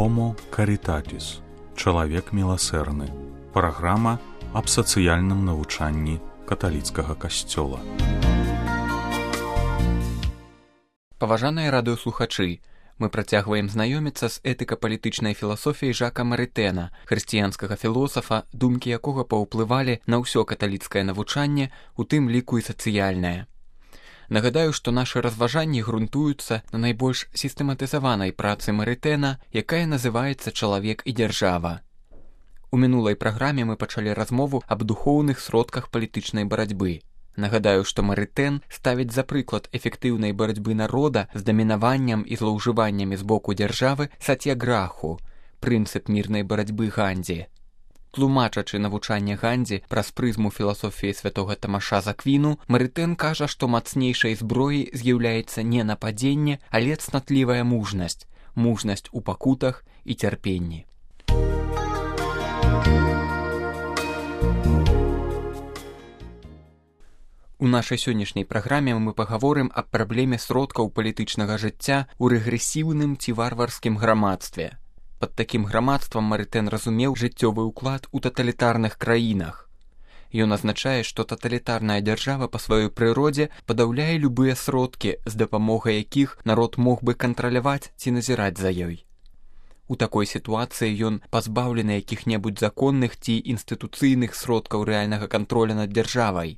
Homo Caritatis. Чалавек міласэрны. Праграма аб сацыяльным навучанні каталіцкага касцёла. Паважаныя радыёслухачы, мы працягваем знаёміцца з этыка-палітычнай філасофіяй Жака Марытэна, хрысціянскага філосафа, думкі якога паўплывалі на ўсё каталіцкае навучанне, у тым ліку і сацыяльнае. Нагадаю, што нашы разважанні грунтуюцца на найбольш сістэматызаванай працы Марытэна, якая называецца «Чалавек і дзяржава». У мінулай праграме мы пачалі размову аб духоўных сродках палітычнай барацьбы. Нагадаю, што Марытэн ставіць за прыклад эфектыўнай барацьбы народа з дамінаваннем і злоўжываннямі з боку дзяржавы сацьяграху, прынцып мірнай барацьбы Гандзі. Тлумачачы навучанне Гандзі праз прызму філасофіі святога Тамаша з Аквіну, Марытэн кажа, што мацнейшай зброяй з'яўляецца не нападзенне, але цнатлівая мужнасць, мужнасць у пакутах і цярпенні. У нашай сённяшняй праграме мы пагаворым аб праблеме сродкаў палітычнага жыцця ў рэгрэсіўным ці варварскім грамадстве. Пад такім грамадствам Марытэн разумеў жыццёвы ўклад у таталітарных краінах. Ён азначае, што таталітарная дзяржава па сваёй прыродзе падаўляе любыя сродкі, з дапамогай якіх народ мог бы кантраляваць ці назіраць за ёй. У такой сітуацыі ён пазбаўлены якіх-небудзь законных ці інстытуцыйных сродкаў рэальнага кантроля над дзяржавай.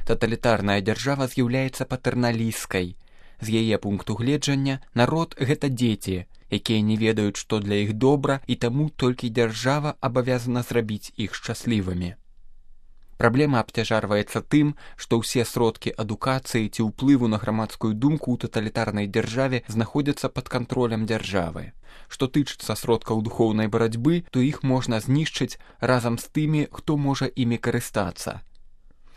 Таталітарная дзяржава з'яўляецца патэрналісцкай. З яе пункту гледжання народ – гэта дзеці, якія не ведаюць, што для іх добра, і таму толькі дзяржава абавязана зрабіць іх шчаслівымі. Праблема абцяжарваецца тым, што ўсе сродкі адукацыі ці ўплыву на грамадскую думку ў таталітарнай дзяржаве знаходзяцца пад кантролем дзяржавы. Што тычыцца сродкаў духоўнай барацьбы, то іх можна знішчыць разам з тымі, хто можа імі карыстацца.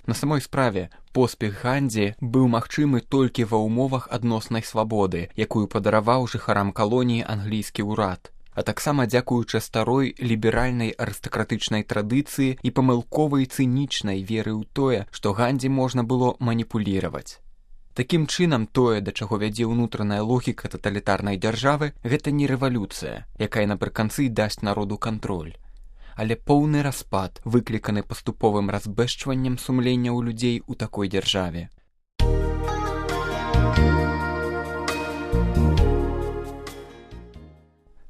На самой справе, поспех Гандзі быў магчымы толькі ва ўмовах адноснай свабоды, якую падараваў жыхарам калоніі англійскі ўрад, а таксама дзякуючы старой ліберальнай арыстакратычнай традыцыі і памылковай цынічнай веры ў тое, што Гандзі можна было маніпуліраваць. Такім чынам, тое, да чаго вядзе ўнутраная логіка таталітарнай дзяржавы, гэта не рэвалюцыя, якая напрыканцы дасць народу кантроль, але поўны распад, выкліканы паступовым разбэшчваннем сумлення ў людзей у такой дзяржаве.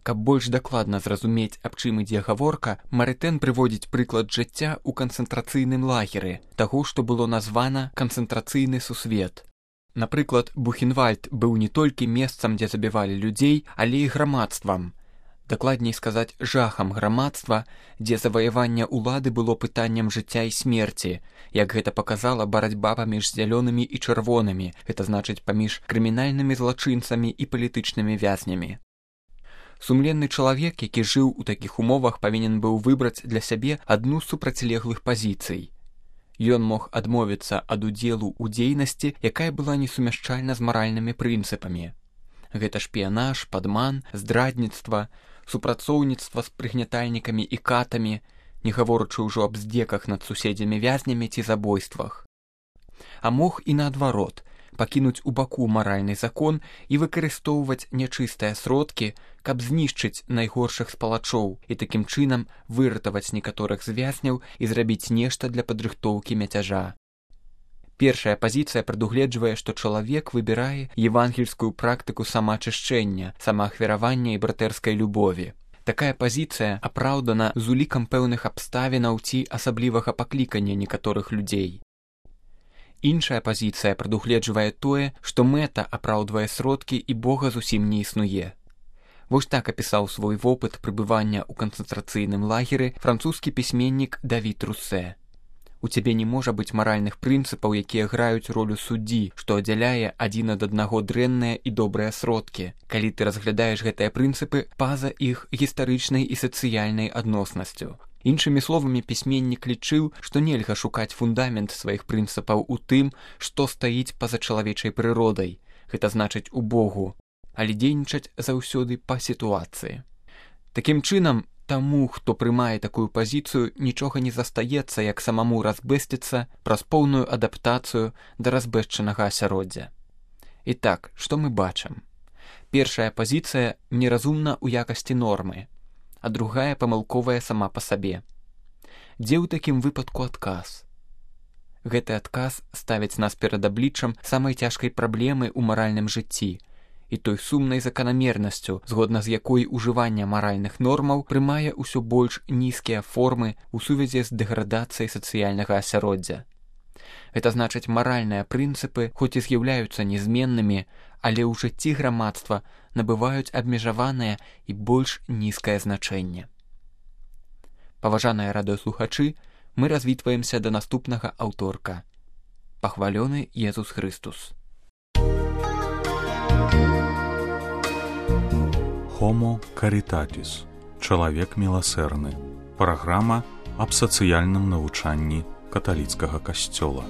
Каб больш дакладна зразумець, аб чым ідзе гаворка, Марытэн прыводзіць прыклад жыцця ў канцэнтрацыйным лагеры, таго, што было названа канцэнтрацыйны сусвет. Напрыклад, Бухенвальд быў не толькі месцам, дзе забівалі людзей, але і грамадствам. Дакладней сказаць, жахам грамадства, дзе заваяванне ўлады было пытаннем жыцця і смерці, як гэта паказала барацьба паміж зялёнымі і чырвонымі, гэта значыць паміж крымінальнымі злачынцамі і палітычнымі вязнямі. Сумленны чалавек, які жыў у такіх умовах, павінен быў выбраць для сябе адну з супрацьлеглых пазіцый. Ён мог адмовіцца ад удзелу ў дзейнасці, якая была несумяшчальна з маральнымі прынцыпамі. Гэта шпіянаж, падман, здрадніцтва, супрацоўніцтва з прыгнятальнікамі і катамі, не гаворачы ўжо аб здзеках над суседзямі-вязнямі ці забойствах. А мог і наадварот, пакінуць у баку маральны закон і выкарыстоўваць нячыстыя сродкі, каб знішчыць найгоршых спалачоў і такім чынам выратаваць некаторых з вязняў і зрабіць нешта для падрыхтоўкі мяцяжа. Першая пазіцыя прадугледжвае, што чалавек выбірае евангельскую практыку самаачышчэння, самаахвяравання і братэрскай любові. Такая пазіцыя апраўдана з улікам пэўных абставінаў ці асаблівага паклікання некаторых людзей. Іншая пазіцыя прадугледжвае тое, што мэта апраўдвае сродкі і Бога зусім не існуе. Вось так апісаў свой вопыт прыбывання ў канцэнтрацыйным лагеры французскі пісьменнік Давід Руссэ. У цябе не можа быць маральных прынцыпаў, якія граюць ролю суддзі, што аддзяляе адзін ад аднаго дрэнныя і добрыя сродкі, калі ты разглядаеш гэтыя прынцыпы па-за іх гістарычнай і сацыяльнай адноснасцю. Іншымі словамі, пісьменнік лічыў, што нельга шукаць фундамент сваіх прынцыпаў у тым, што стаіць па-за чалавечай прыродай, гэта значыць у Богу, але дзейнічаць заўсёды па сітуацыі. Такім чынам, таму, хто прымае такую пазіцыю, нічога не застаецца, як самаму разбэсціцца праз поўную адаптацыю да разбэшчанага асяроддзя. І так, што мы бачым? Першая пазіцыя неразумна ў якасці нормы, а другая памылковая сама па сабе. Дзе ў такім выпадку адказ? Гэты адказ ставіць нас перад абліччам самай цяжкай праблемы ў маральным жыцці і той сумнай заканамернасцю, згодна з якой ужыванне маральных нормаў прымае ўсё больш нізкія формы ў сувязі з дэградацыяй сацыяльнага асяроддзя. Гэта значыць, маральныя прынцыпы, хоць і з'яўляюцца нязменнымі, але ў жыцці грамадства набываюць абмежаванае і больш нізкае значэнне. Паважаныя радыёслухачы, мы развітваемся да наступнага аўторка. Пахвалёны Езус Хрыстус. Homo Caritatis. Чалавек міласэрны. Праграма аб сацыяльным навучанні каталіцкага касцёла.